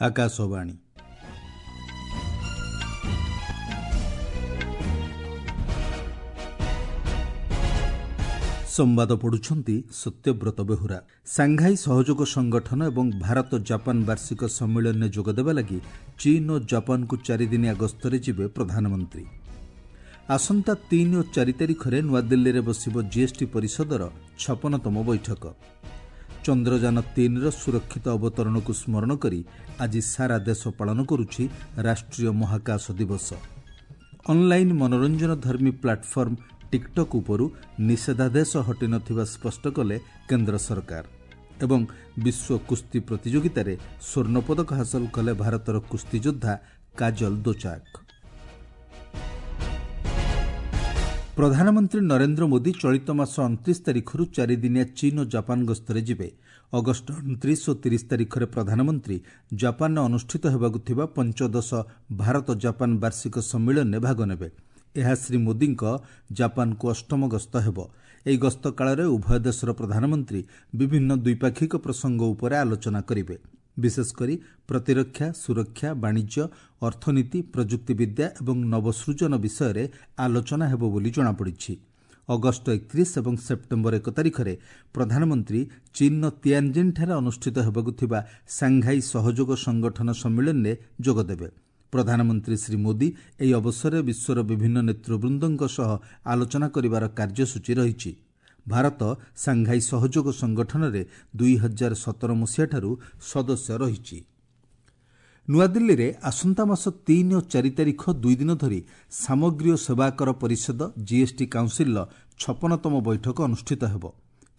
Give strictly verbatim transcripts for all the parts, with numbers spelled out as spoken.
ଆକାଶବାଣୀ। ସମ୍ବାଦ ପଢୁଛନ୍ତି ସତ୍ୟବ୍ରତ ବେହୁରା। ସାଂଘାଇ ସହଯୋଗ ସଂଗଠନ ଏବଂ ଭାରତ ଜାପାନ ବାର୍ଷିକ ସମ୍ମିଳନୀରେ ଯୋଗଦେବା ଲାଗି ଚୀନ୍ ଓ ଜାପାନକୁ ଚାରିଦିନିଆ ଗସ୍ତରେ ଯିବେ ପ୍ରଧାନମନ୍ତ୍ରୀ। ଆସନ୍ତା ତିନି ଓ ଚାରି ତାରିଖରେ ନୂଆଦିଲ୍ଲୀରେ ବସିବ ଜିଏସ୍ଟି ପରିଷଦର ଛପନତମ ବୈଠକ। ଚନ୍ଦ୍ରଯାନ ତିନିର ସୁରକ୍ଷିତ ଅବତରଣକୁ ସ୍ମରଣ କରି ଆଜି ସାରା ଦେଶ ପାଳନ କରୁଛି ରାଷ୍ଟ୍ରୀୟ ମହାକାଶ ଦିବସ। ଅନ୍ଲାଇନ୍ ମନୋରଞ୍ଜନଧର୍ମୀ ପ୍ଲାଟଫର୍ମ ଟିକ୍ଟକ୍ ଉପରୁ ନିଷେଧାଦେଶ ହଟିନଥିବା ସ୍ପଷ୍ଟ କଲେ କେନ୍ଦ୍ର ସରକାର। ଏବଂ ବିଶ୍ୱ କୁସ୍ତି ପ୍ରତିଯୋଗିତାରେ ସ୍ୱର୍ଣ୍ଣପଦକ ହାସଲ କଲେ ଭାରତର କୁସ୍ତିଯୋଦ୍ଧା କାଜଲ ଦୋଚାକ। ପ୍ରଧାନମନ୍ତ୍ରୀ ନରେନ୍ଦ୍ର ମୋଦି ଚଳିତ ମାସ ଅଣତିରିଶ ତାରିଖରୁ ଚାରିଦିନିଆ ଚୀନ୍ ଓ ଜାପାନ ଗସ୍ତରେ ଯିବେ। ଅଗଷ୍ଟ ଅଣତିରିଶ ଓ ତିରିଶ ତାରିଖରେ ପ୍ରଧାନମନ୍ତ୍ରୀ ଜାପାନରେ ଅନୁଷ୍ଠିତ ହେବାକୁ ଥିବା ପଞ୍ଚଦଶ ଭାରତ ଜାପାନ ବାର୍ଷିକ ସମ୍ମିଳନୀରେ ଭାଗ ନେବେ। ଏହା ଶ୍ରୀ ମୋଦିଙ୍କ ଜାପାନକୁ ଅଷ୍ଟମ ଗସ୍ତ ହେବ। ଏହି ଗସ୍ତ କାଳରେ ଉଭୟ ଦେଶର ପ୍ରଧାନମନ୍ତ୍ରୀ ବିଭିନ୍ନ ଦ୍ୱିପାକ୍ଷିକ ପ୍ରସଙ୍ଗ ଉପରେ ଆଲୋଚନା କରିବେ। ବିଶେଷକରି ପ୍ରତିରକ୍ଷା, ସୁରକ୍ଷା, ବାଣିଜ୍ୟ, ଅର୍ଥନୀତି, ପ୍ରଯୁକ୍ତିବିଦ୍ୟା ଏବଂ ନବସୃଜନ ବିଷୟରେ ଆଲୋଚନା ହେବ ବୋଲି ଜଣାପଡ଼ିଛି। ଅଗଷ୍ଟ ଏକତିରିଶ ଏବଂ ସେପ୍ଟେମ୍ବର ଏକ ତାରିଖରେ ପ୍ରଧାନମନ୍ତ୍ରୀ ଚୀନ୍ର ତିଆନ୍ଜିନ୍ଠାରେ ଅନୁଷ୍ଠିତ ହେବାକୁ ଥିବା ସାଂଘାଇ ସହଯୋଗ ସଂଗଠନ ସମ୍ମିଳନୀରେ ଯୋଗଦେବେ। ପ୍ରଧାନମନ୍ତ୍ରୀ ଶ୍ରୀ ମୋଦି ଏହି ଅବସରରେ ବିଶ୍ୱର ବିଭିନ୍ନ ନେତୃବୃନ୍ଦଙ୍କ ସହ ଆଲୋଚନା କରିବାର କାର୍ଯ୍ୟସୂଚୀ ରହିଛି। ଭାରତ ସାଂଘାଇ ସହଯୋଗ ସଂଗଠନରେ ଦୁଇ ହଜାର ସତର ମସିହାଠାରୁ ସଦସ୍ୟ ରହିଛି। ନୂଆଦିଲ୍ଲୀରେ ଆସନ୍ତା ମାସ ତିନି ଓ ଚାରି ତାରିଖ ଦୁଇ ଦିନ ଧରି ସାମଗ୍ରୀ ଓ ସେବାକର ପରିଷଦ ଜିଏସ୍ଟି କାଉନ୍ସିଲ୍ର ଛପନତମ ବୈଠକ ଅନୁଷ୍ଠିତ ହେବ।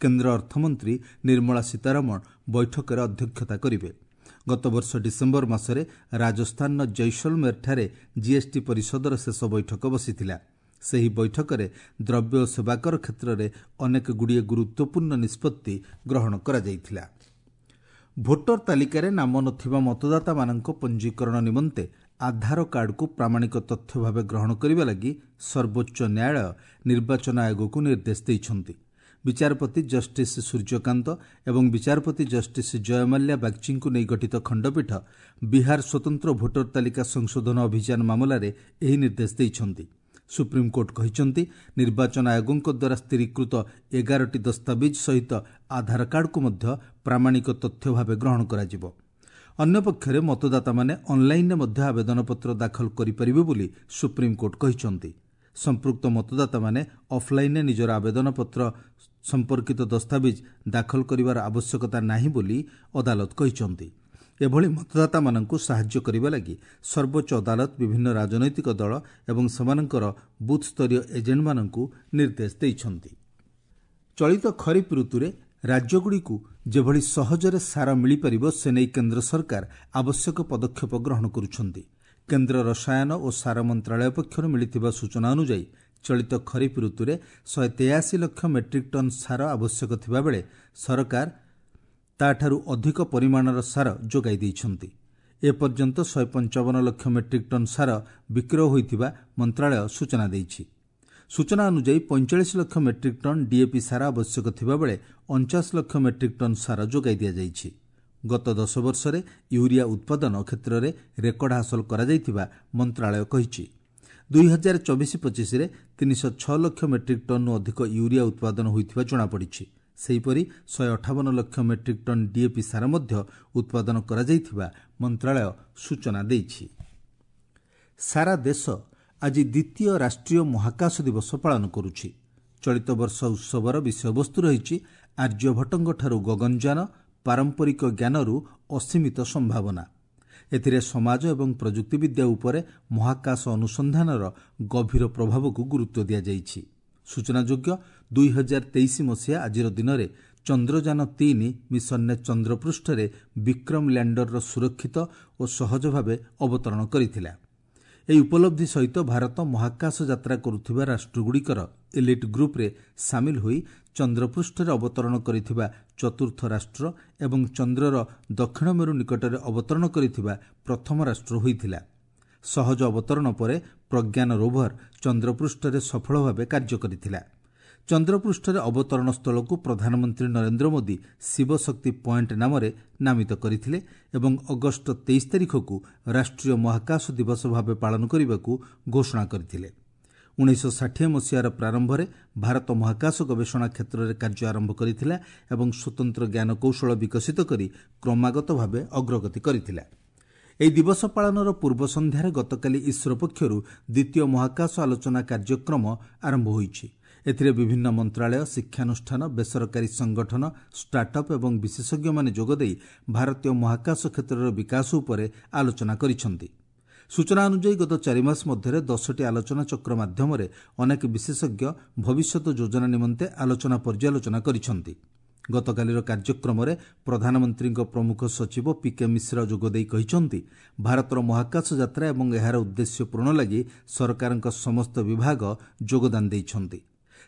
କେନ୍ଦ୍ର ଅର୍ଥମନ୍ତ୍ରୀ ନିର୍ମଳା ସୀତାରମଣ ବୈଠକରେ ଅଧ୍ୟକ୍ଷତା କରିବେ। ଗତବର୍ଷ ଡିସେମ୍ବର ମାସରେ ରାଜସ୍ଥାନର ଜୈସଲମେରଠାରେ ଜିଏସ୍ଟି ପରିଷଦର ଶେଷ ବୈଠକ ବସିଥିଲା। ସେହି ବୈଠକରେ ଦ୍ରବ୍ୟ ଓ ସେବାକର କ୍ଷେତ୍ରରେ ଅନେକଗୁଡ଼ିଏ ଗୁରୁତ୍ୱପୂର୍ଣ୍ଣ ନିଷ୍ପତ୍ତି ଗ୍ରହଣ କରାଯାଇଥିଲା। ଭୋଟର ତାଲିକାରେ ନାମ ନଥିବା ମତଦାତାମାନଙ୍କ ପଞ୍ଜୀକରଣ ନିମନ୍ତେ ଆଧାର କାର୍ଡକୁ ପ୍ରାମାଣିକ ତଥ୍ୟ ଭାବେ ଗ୍ରହଣ କରିବା ଲାଗି ସର୍ବୋଚ୍ଚ ନ୍ୟାୟାଳୟ ନିର୍ବାଚନ ଆୟୋଗକୁ ନିର୍ଦ୍ଦେଶ ଦେଇଛନ୍ତି। ବିଚାରପତି ଜଷ୍ଟିସ୍ ସୂର୍ଯ୍ୟକାନ୍ତ ଏବଂ ବିଚାରପତି ଜଷ୍ଟିସ୍ ଜୟମାଲ୍ୟା ବାଗ୍ଚୀଙ୍କୁ ନେଇ ଗଠିତ ଖଣ୍ଡପୀଠ ବିହାର ସ୍ୱତନ୍ତ୍ର ଭୋଟର ତାଲିକା ସଂଶୋଧନ ଅଭିଯାନ ମାମଲାରେ ଏହି ନିର୍ଦ୍ଦେଶ ଦେଇଛନ୍ତି। ସୁପ୍ରିମକୋର୍ଟ କହିଛନ୍ତି, ନିର୍ବାଚନ ଆୟୋଗଙ୍କ ଦ୍ୱାରା ସ୍ଥିରୀକୃତ ଏଗାରଟି ଦସ୍ତାବିଜ୍ ସହିତ ଆଧାର କାର୍ଡକୁ ମଧ୍ୟ ପ୍ରାମାଣିକ ତଥ୍ୟ ଭାବେ ଗ୍ରହଣ କରାଯିବ। ଅନ୍ୟପକ୍ଷରେ ମତଦାତାମାନେ ଅନ୍ଲାଇନ୍ରେ ମଧ୍ୟ ଆବେଦନପତ୍ର ଦାଖଲ କରିପାରିବେ ବୋଲି ସୁପ୍ରିମକୋର୍ଟ କହିଛନ୍ତି। ସମ୍ପୃକ୍ତ ମତଦାତାମାନେ ଅଫ୍ଲାଇନ୍ରେ ନିଜର ଆବେଦନପତ୍ର ସମ୍ପର୍କିତ ଦସ୍ତାବିଜ୍ ଦାଖଲ କରିବାର ଆବଶ୍ୟକତା ନାହିଁ ବୋଲି ଅଦାଲତ କହିଛନ୍ତି। ଏଭଳି ମତଦାତାମାନଙ୍କୁ ସାହାଯ୍ୟ କରିବା ଲାଗି ସର୍ବୋଚ୍ଚ ଅଦାଲତ ବିଭିନ୍ନ ରାଜନୈତିକ ଦଳ ଏବଂ ସେମାନଙ୍କର ବୁଥ୍ସ୍ତରୀୟ ଏଜେଣ୍ଟମାନଙ୍କୁ ନିର୍ଦ୍ଦେଶ ଦେଇଛନ୍ତି। ଚଳିତ ଖରିଫ ଋତୁରେ ରାଜ୍ୟଗୁଡ଼ିକୁ ଯେଭଳି ସହଜରେ ସାର ମିଳିପାରିବ ସେନେଇ କେନ୍ଦ୍ର ସରକାର ଆବଶ୍ୟକ ପଦକ୍ଷେପ ଗ୍ରହଣ କରୁଛନ୍ତି। କେନ୍ଦ୍ର ରସାୟନ ଓ ସାର ମନ୍ତ୍ରାଳୟ ପକ୍ଷରୁ ମିଳିଥିବା ସୂଚନା ଅନୁଯାୟୀ ଚଳିତ ଖରିଫ ଋତୁରେ ଶହେ ତେୟାଅଶୀ ଲକ୍ଷ ମେଟ୍ରିକ୍ ଟନ୍ ସାର ଆବଶ୍ୟକ ଥିବାବେଳେ ସରକାର ତାଠାରୁ ଅଧିକ ପରିମାଣର ସାର ଯୋଗାଇ ଦେଇଛନ୍ତି। ଏପର୍ଯ୍ୟନ୍ତ ଶହେ ପଞ୍ଚାବନ ଲକ୍ଷ ମେଟ୍ରିକ୍ ଟନ୍ ସାର ବିକ୍ରୟ ହୋଇଥିବା ମନ୍ତ୍ରାଳୟ ସୂଚନା ଦେଇଛି। ସୂଚନା ଅନୁଯାୟୀ ପଇଁଚାଳିଶ ଲକ୍ଷ ମେଟ୍ରିକ୍ ଟନ୍ ଡିଏପି ସାର ଆବଶ୍ୟକ ଥିବାବେଳେ ଅଣଚାଶ ଲକ୍ଷ ମେଟ୍ରିକ୍ ଟନ୍ ସାର ଯୋଗାଇ ଦିଆଯାଇଛି। ଗତ ଦଶ ବର୍ଷରେ ୟୁରିଆ ଉତ୍ପାଦନ କ୍ଷେତ୍ରରେ ରେକର୍ଡ ହାସଲ କରାଯାଇଥିବା ମନ୍ତ୍ରାଳୟ କହିଛି। ଦୁଇ ହଜାର ଚବିଶ ପଚିଶରେ ତିନିଶହ ଛଅ ଲକ୍ଷ ମେଟ୍ରିକ୍ ଟନ୍ରୁ ଅଧିକ ୟୁରିଆ ଉତ୍ପାଦନ ହୋଇଥିବା ଜଣାପଡ଼ିଛି। ସେହିପରି ଶହେ ଅଠାବନ ଲକ୍ଷ ମେଟ୍ରିକ୍ ଟନ୍ ଡିଏପି ସାର ମଧ୍ୟ ଉତ୍ପାଦନ କରାଯାଇଥିବା ମନ୍ତ୍ରାଳୟ ସୂଚନା ଦେଇଛି। ସାରା ଦେଶ ଆଜି ଦ୍ୱିତୀୟ ରାଷ୍ଟ୍ରୀୟ ମହାକାଶ ଦିବସ ପାଳନ କରୁଛି। ଚଳିତ ବର୍ଷ ଉତ୍ସବର ବିଷୟବସ୍ତୁ ରହିଛି ଆର୍ଯ୍ୟଭଟ୍ଟଙ୍କଠାରୁ ଗଗନଯାନ, ପାରମ୍ପରିକ ଜ୍ଞାନରୁ ଅସୀମିତ ସମ୍ଭାବନା। ଏଥିରେ ସମାଜ ଏବଂ ପ୍ରଯୁକ୍ତିବିଦ୍ୟା ଉପରେ ମହାକାଶ ଅନୁସନ୍ଧାନର ଗଭୀର ପ୍ରଭାବକୁ ଗୁରୁତ୍ୱ ଦିଆଯାଇଛି। ସୂଚନାଯୋଗ୍ୟ, ଦୁଇ ହଜାର ତେଇଶ ମସିହା ଆଜିର ଦିନରେ ଚନ୍ଦ୍ରଯାନ ତିନି ମିଶନରେ ଚନ୍ଦ୍ରପୃଷ୍ଠରେ ବିକ୍ରମ ଲ୍ୟାଣ୍ଡରର ସୁରକ୍ଷିତ ଓ ସହଜ ଭାବେ ଅବତରଣ କରିଥିଲା। ଏହି ଉପଲବ୍ଧି ସହିତ ଭାରତ ମହାକାଶ ଯାତ୍ରା କରୁଥିବା ରାଷ୍ଟ୍ରଗୁଡ଼ିକର ଏଲିଟ୍ ଗ୍ରୁପ୍ରେ ସାମିଲ ହୋଇ ଚନ୍ଦ୍ରପୃଷ୍ଠରେ ଅବତରଣ କରିଥିବା ଚତୁର୍ଥ ରାଷ୍ଟ୍ର ଏବଂ ଚନ୍ଦ୍ରର ଦକ୍ଷିଣ ମେରୁ ନିକଟରେ ଅବତରଣ କରିଥିବା ପ୍ରଥମ ରାଷ୍ଟ୍ର ହୋଇଥିଲା। ସହଜ ଅବତରଣ ପରେ ପ୍ରଜ୍ଞାନ ରୋଭର ଚନ୍ଦ୍ରପୃଷ୍ଠରେ ସଫଳ ଭାବେ କାର୍ଯ୍ୟ କରିଥିଲା। ଚନ୍ଦ୍ରପୃଷ୍ଠରେ ଅବତରଣ ସ୍ଥଳକୁ ପ୍ରଧାନମନ୍ତ୍ରୀ ନରେନ୍ଦ୍ର ମୋଦି ଶିବଶକ୍ତି ପଏଣ୍ଟ ନାମରେ ନାମିତ କରିଥିଲେ ଏବଂ ଅଗଷ୍ଟ ତେଇଶ ତାରିଖକୁ ରାଷ୍ଟ୍ରୀୟ ମହାକାଶ ଦିବସ ଭାବେ ପାଳନ କରିବାକୁ ଘୋଷଣା କରିଥିଲେ। ଉଣେଇଶହ ଷାଠିଏ ମସିହାର ପ୍ରାରମ୍ଭରେ ଭାରତ ମହାକାଶ ଗବେଷଣା କ୍ଷେତ୍ରରେ କାର୍ଯ୍ୟ ଆରମ୍ଭ କରିଥିଲା ଏବଂ ସ୍ୱତନ୍ତ୍ର ଜ୍ଞାନକୌଶଳ ବିକଶିତ କରି କ୍ରମାଗତ ଭାବେ ଅଗ୍ରଗତି କରିଥିଲା। ଏହି ଦିବସ ପାଳନର ପୂର୍ବ ସନ୍ଧ୍ୟାରେ ଗତକାଲି ଇସ୍ରୋ ପକ୍ଷରୁ ଦ୍ୱିତୀୟ ମହାକାଶ ଆଲୋଚନା କାର୍ଯ୍ୟକ୍ରମ ଆରମ୍ଭ ହୋଇଛି। ଏଥିରେ ବିଭିନ୍ନ ମନ୍ତ୍ରାଳୟ, ଶିକ୍ଷାନୁଷ୍ଠାନ, ବେସରକାରୀ ସଂଗଠନ, ଷ୍ଟାର୍ଟଅପ୍ ଏବଂ ବିଶେଷଜ୍ଞମାନେ ଯୋଗଦେଇ ଭାରତୀୟ ମହାକାଶ କ୍ଷେତ୍ରର ବିକାଶ ଉପରେ ଆଲୋଚନା କରିଛନ୍ତି। ସୂଚନା ଅନୁଯାୟୀ ଗତ ଚାରିମାସ ମଧ୍ୟରେ ଦଶଟି ଆଲୋଚନାଚକ୍ର ମାଧ୍ୟମରେ ଅନେକ ବିଶେଷଜ୍ଞ ଭବିଷ୍ୟତ ଯୋଜନା ନିମନ୍ତେ ଆଲୋଚନା ପର୍ଯ୍ୟାଲୋଚନା କରିଛନ୍ତି। ଗତକାଲିର କାର୍ଯ୍ୟକ୍ରମରେ ପ୍ରଧାନମନ୍ତ୍ରୀଙ୍କ ପ୍ରମୁଖ ସଚିବ ପି କେ ମିଶ୍ର ଯୋଗଦେଇ କହିଛନ୍ତି, ଭାରତର ମହାକାଶ ଯାତ୍ରା ଏବଂ ଏହାର ଉଦ୍ଦେଶ୍ୟ ପୂରଣ ଲାଗି ସରକାରଙ୍କ ସମସ୍ତ ବିଭାଗ ଯୋଗଦାନ ଦେଇଛନ୍ତି।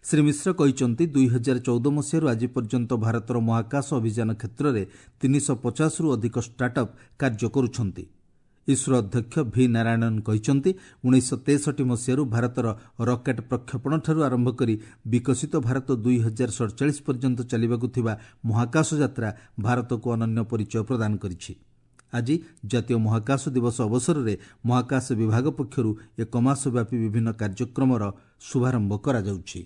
ଶ୍ରୀ ମିଶ୍ର କହିଛନ୍ତି, ଦୁଇ ହଜାର ଚଉଦ ମସିହାରୁ ଆଜି ପର୍ଯ୍ୟନ୍ତ ଭାରତର ମହାକାଶ ଅଭିଯାନ କ୍ଷେତ୍ରରେ ତିନିଶହ ପଚାଶରୁ ଅଧିକ ଷ୍ଟାର୍ଟଅପ୍ କାର୍ଯ୍ୟ କରୁଛନ୍ତି। ଇସ୍ରୋ ଅଧ୍ୟକ୍ଷ ଭି ନାରାୟଣନ୍ କହିଛନ୍ତି, ଉଣେଇଶହ ତେଷଠି ମସିହାରୁ ଭାରତର ରକେଟ୍ ପ୍ରକ୍ଷେପଣଠାରୁ ଆରମ୍ଭ କରି ବିକଶିତ ଭାରତ ଦୁଇ ହଜାର ସଡ଼ଚାଳିଶ ପର୍ଯ୍ୟନ୍ତ ଚାଲିବାକୁ ଥିବା ମହାକାଶ ଯାତ୍ରା ଭାରତକୁ ଅନନ୍ୟ ପରିଚୟ ପ୍ରଦାନ କରିଛି। ଆଜି ଜାତୀୟ ମହାକାଶ ଦିବସ ଅବସରରେ ମହାକାଶ ବିଭାଗ ପକ୍ଷରୁ ଏକ ମାସ ବ୍ୟାପୀ ବିଭିନ୍ନ କାର୍ଯ୍ୟକ୍ରମର ଶୁଭାରମ୍ଭ କରାଯାଉଛି।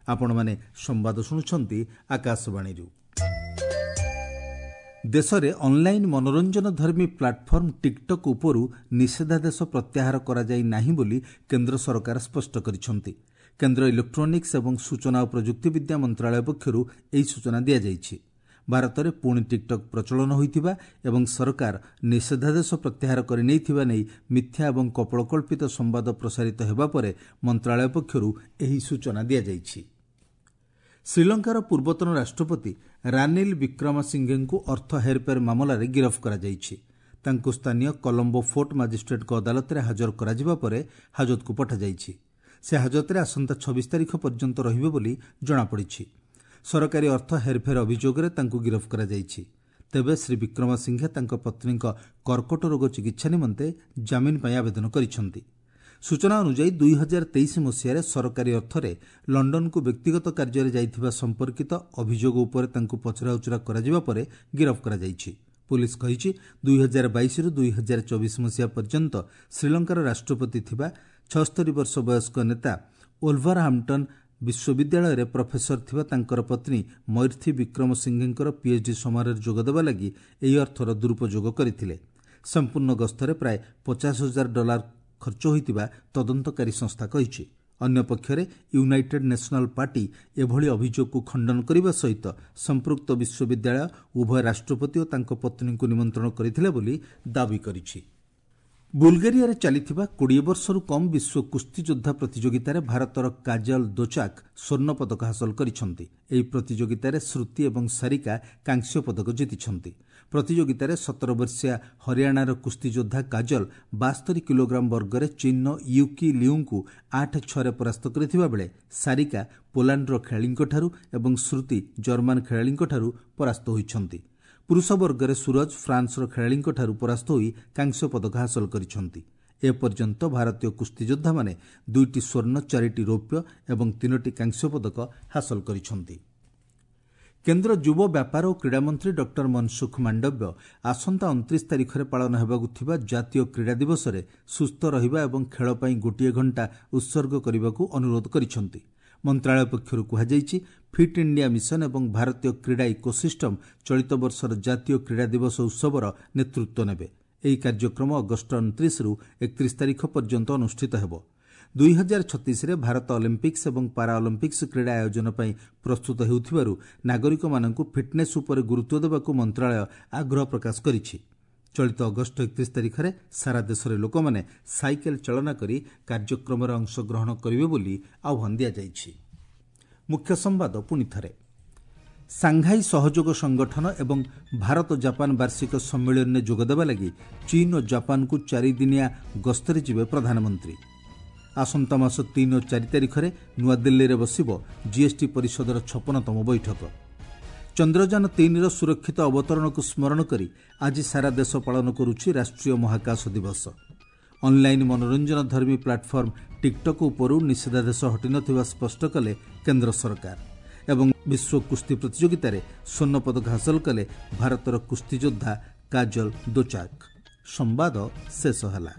ଆପଣମାନେ ସମ୍ବାଦ ଶୁଣୁଛନ୍ତି ଆକାଶବାଣୀରୁ। ଦେଶରେ ଅନ୍ଲାଇନ୍ ମନୋରଞ୍ଜନଧର୍ମୀ ପ୍ଲାଟଫର୍ମ ଟିକ୍ଟକ୍ ଉପରୁ ନିଷେଧାଦେଶ ପ୍ରତ୍ୟାହାର କରାଯାଇ ନାହିଁ ବୋଲି କେନ୍ଦ୍ର ସରକାର ସ୍ପଷ୍ଟ କରିଛନ୍ତି। କେନ୍ଦ୍ର ଇଲେକ୍ଟ୍ରୋନିକ୍ସ ଏବଂ ସୂଚନା ଓ ପ୍ରଯୁକ୍ତିବିଦ୍ୟା ମନ୍ତ୍ରାଳୟ ପକ୍ଷରୁ ଏହି ସୂଚନା ଦିଆଯାଇଛି। ଭାରତରେ ପୁଣି ଟିକ୍ଟକ୍ ପ୍ରଚଳନ ହୋଇଥିବା ଏବଂ ସରକାର ନିଷେଧାଦେଶ ପ୍ରତ୍ୟାହାର କରିନେଇଥିବା ନେଇ ମିଥ୍ୟା ଏବଂ କପୋଳକଳ୍ପିତ ସମ୍ବାଦ ପ୍ରସାରିତ ହେବା ପରେ ମନ୍ତ୍ରାଳୟ ପକ୍ଷରୁ ଏହି ସୂଚନା ଦିଆଯାଇଛି। ଶ୍ରୀଲଙ୍କାର ପୂର୍ବତନ ରାଷ୍ଟ୍ରପତି ରାନିଲ ବିକ୍ରମାସିଂଘେଙ୍କୁ ଅର୍ଥ ହେରଫେର ମାମଲାରେ ଗିରଫ କରାଯାଇଛି। ତାଙ୍କୁ ସ୍ଥାନୀୟ କଲମ୍ବୋ ଫୋର୍ଟ ମାଜିଷ୍ଟ୍ରେଟ୍ଙ୍କ ଅଦାଲତରେ ହାଜର କରାଯିବା ପରେ ହାଜତକୁ ପଠାଯାଇଛି। ସେ ହାଜତରେ ଆସନ୍ତା ଛବିଶ ତାରିଖ ପର୍ଯ୍ୟନ୍ତ ରହିବେ ବୋଲି ଜଣାପଡ଼ିଛି। ସରକାରୀ ଅର୍ଥ ହେରଫେର ଅଭିଯୋଗରେ ତାଙ୍କୁ ଗିରଫ କରାଯାଇଛି। ତେବେ ଶ୍ରୀ ବିକ୍ରମାସିଂଘେ ତାଙ୍କ ପତ୍ନୀଙ୍କ କର୍କଟ ରୋଗ ଚିକିତ୍ସା ନିମନ୍ତେ ଜାମିନ ପାଇଁ ଆବେଦନ କରିଛନ୍ତି। ସୂଚନା ଅନୁଯାୟୀ ଦୁଇ ହଜାର ତେଇଶ ମସିହାରେ ସରକାରୀ ଅର୍ଥରେ ଲଣ୍ଡନକୁ ବ୍ୟକ୍ତିଗତ କାର୍ଯ୍ୟରେ ଯାଇଥିବା ସମ୍ପର୍କିତ ଅଭିଯୋଗ ଉପରେ ତାଙ୍କୁ ପଚରାଉଚରା କରାଯିବା ପରେ ଗିରଫ କରାଯାଇଛି। ପୁଲିସ୍ କହିଛି, ଦୁଇ ହଜାର ବାଇଶରୁ ଦୁଇ ହଜାର ଚବିଶ ମସିହା ପର୍ଯ୍ୟନ୍ତ ଶ୍ରୀଲଙ୍କାର ରାଷ୍ଟ୍ରପତି ଥିବା ଛଅସ୍ତରୀ ବର୍ଷ ବୟସ୍କ ନେତା ଓଲଭରହାମ୍ପଟନ୍ ବିଶ୍ୱବିଦ୍ୟାଳୟରେ ପ୍ରଫେସର ଥିବା ତାଙ୍କର ପତ୍ନୀ ମୈର୍ଥି ବିକ୍ରମସିଂଘେଙ୍କର ପିଏଚ୍ଡି ସମାରୋହରେ ଯୋଗଦେବା ଲାଗି ଏହି ଅର୍ଥର ଦୁରୁପଯୋଗ କରିଥିଲେ। ସମ୍ପୂର୍ଣ୍ଣ ଗସ୍ତରେ ପ୍ରାୟ ପଚାଶ ହଜାର ଡଲାର ଖର୍ଚ୍ଚ ହୋଇଥିବା ତଦନ୍ତକାରୀ ସଂସ୍ଥା କହିଛି। ଅନ୍ୟପକ୍ଷରେ ୟୁନାଇଟେଡ୍ ନ୍ୟାସନାଲ୍ ପାର୍ଟି ଏଭଳି ଅଭିଯୋଗକୁ ଖଣ୍ଡନ କରିବା ସହିତ ସମ୍ପୃକ୍ତ ବିଶ୍ୱବିଦ୍ୟାଳୟ ଉଭୟ ରାଷ୍ଟ୍ରପତି ଓ ତାଙ୍କ ପତ୍ନୀଙ୍କୁ ନିମନ୍ତ୍ରଣ କରିଥିଲା ବୋଲି ଦାବି କରିଛି। ବୁଲଗେରିଆରେ ଚାଲିଥିବା କୋଡ଼ିଏ ବର୍ଷରୁ କମ୍ ବିଶ୍ୱ କୁସ୍ତିଯୋଦ୍ଧା ପ୍ରତିଯୋଗିତାରେ ଭାରତର କାଜଲ ଦୋଚାକ୍ ସ୍ୱର୍ଣ୍ଣ ପଦକ ହାସଲ କରିଛନ୍ତି। ଏହି ପ୍ରତିଯୋଗିତାରେ ଶ୍ରୁତି ଏବଂ ସାରିକା କାଂସ୍ୟ ପଦକ ଜିତିଛନ୍ତି। ପ୍ରତିଯୋଗିତାରେ ସତର ବର୍ଷିୟା ହରିୟାଣାର କୁସ୍ତିଯୋଦ୍ଧା କାଜଲ ବାସ୍ତରୀ କିଲୋଗ୍ରାମ ବର୍ଗରେ ଚୀନ୍ର ୟୁକି ଲିଉଙ୍କୁ ଆଠ ଛଅରେ ପରାସ୍ତ କରିଥିବା ବେଳେ ସାରିକା ପୋଲାଣ୍ଡର ଖେଳାଳିଙ୍କଠାରୁ ଏବଂ ଶ୍ରୁତି ଜର୍ମାନ ଖେଳାଳିଙ୍କଠାରୁ ପରାସ୍ତ ହୋଇଛନ୍ତି। ପୁରୁଷ ବର୍ଗରେ ସୁରଜ ଫ୍ରାନ୍ସର ଖେଳାଳିଙ୍କଠାରୁ ପରାସ୍ତ ହୋଇ କାଂସ୍ୟ ପଦକ ହାସଲ କରିଛନ୍ତି। ଏପର୍ଯ୍ୟନ୍ତ ଭାରତୀୟ କୁସ୍ତିଯୋଦ୍ଧାମାନେ ଦୁଇଟି ସ୍ୱର୍ଣ୍ଣ, ଚାରିଟି ରୌପ୍ୟ ଏବଂ ତିନୋଟି କାଂସ୍ୟ ପଦକ ହାସଲ କରିଛନ୍ତି। କେନ୍ଦ୍ର ଯୁବ ବ୍ୟାପାର ଓ କ୍ରୀଡ଼ାମନ୍ତ୍ରୀ ଡକ୍ଟର ମନସୁଖ ମାଣ୍ଡବ୍ୟ ଆସନ୍ତା ଅଣତିରିଶ ତାରିଖରେ ପାଳନ ହେବାକୁ ଥିବା ଜାତୀୟ କ୍ରୀଡ଼ା ଦିବସରେ ସୁସ୍ଥ ରହିବା ଏବଂ ଖେଳ ପାଇଁ ଗୋଟିଏ ଘଣ୍ଟା ଉତ୍ସର୍ଗ କରିବାକୁ ଅନୁରୋଧ କରିଛନ୍ତି। ମନ୍ତ୍ରାଳୟ ପକ୍ଷରୁ କୁହାଯାଇଛି, ଫିଟ୍ ଇଣ୍ଡିଆ ମିଶନ ଏବଂ ଭାରତୀୟ କ୍ରୀଡ଼ା ଇକୋସିଷ୍ଟମ୍ ଚଳିତ ବର୍ଷର ଜାତୀୟ କ୍ରୀଡ଼ା ଦିବସ ଉତ୍ସବର ନେତୃତ୍ୱ ନେବେ। ଏହି କାର୍ଯ୍ୟକ୍ରମ ଅଗଷ୍ଟ ଅଣତିରିଶରୁ ଏକତିରିଶ ତାରିଖ ପର୍ଯ୍ୟନ୍ତ ଅନୁଷ୍ଠିତ ହେବ। ଦୁଇ ହଜାର ଛତିଶରେ ଭାରତ ଅଲିମ୍ପିକ୍ସ ଏବଂ ପାରା ଅଲିମ୍ପିକ୍ସ କ୍ରୀଡ଼ା ଆୟୋଜନ ପାଇଁ ପ୍ରସ୍ତୁତ ହେଉଥିବାରୁ ନାଗରିକମାନଙ୍କୁ ଫିଟ୍ନେସ୍ ଉପରେ ଗୁରୁତ୍ୱ ଦେବାକୁ ମନ୍ତ୍ରାଳୟ ଆଗ୍ରହ ପ୍ରକାଶ କରିଛି। ଚଳିତ ଅଗଷ୍ଟ ଏକତିରିଶ ତାରିଖରେ ସାରା ଦେଶରେ ଲୋକମାନେ ସାଇକେଲ ଚାଳନା କରି କାର୍ଯ୍ୟକ୍ରମରେ ଅଂଶଗ୍ରହଣ କରିବେ ବୋଲି ଆହ୍ୱାନ ଦିଆଯାଇଛି। ମୁଖ୍ୟ ସମ୍ବାଦ ପୁଣି ଥରେ। ସାଂଘାଇ ସହଯୋଗ ସଂଗଠନ ଏବଂ ଭାରତ ଜାପାନ ବାର୍ଷିକ ସମ୍ମିଳନୀରେ ଯୋଗଦେବା ଲାଗି ଚୀନ୍ ଓ ଜାପାନକୁ ଚାରିଦିନିଆ ଗସ୍ତରେ ଯିବେ ପ୍ରଧାନମନ୍ତ୍ରୀ। ଆସନ୍ତା ମାସ ତିନି ଓ ଚାରି ତାରିଖରେ ନୂଆଦିଲ୍ଲୀରେ ବସିବ ଜିଏସ୍ଟି ପରିଷଦର ଛପନତମ ବୈଠକ। ଚନ୍ଦ୍ରଯାନ ତିନିର ସୁରକ୍ଷିତ ଅବତରଣକୁ ସ୍ମରଣ କରି ଆଜି ସାରା ଦେଶ ପାଳନ କରୁଛି ରାଷ୍ଟ୍ରୀୟ ମହାକାଶ ଦିବସ। ଅନ୍ଲାଇନ୍ ମନୋରଞ୍ଜନଧର୍ମୀ ପ୍ଲାଟଫର୍ମ ଟିକ୍ଟକ୍ ଉପରୁ ନିଷେଧାଦେଶ ହଟିନଥିବା ସ୍ପଷ୍ଟ କଲେ କେନ୍ଦ୍ର ସରକାର। ଏବଂ ବିଶ୍ୱ କୁସ୍ତି ପ୍ରତିଯୋଗିତାରେ ସ୍ୱର୍ଣ୍ଣ ପଦକ ହାସଲ କଲେ ଭାରତର କୁସ୍ତିଯୋଦ୍ଧା କାଜଲ ଦୋଚାକ୍। ସମ୍ବାଦ ଶେଷ ହେଲା।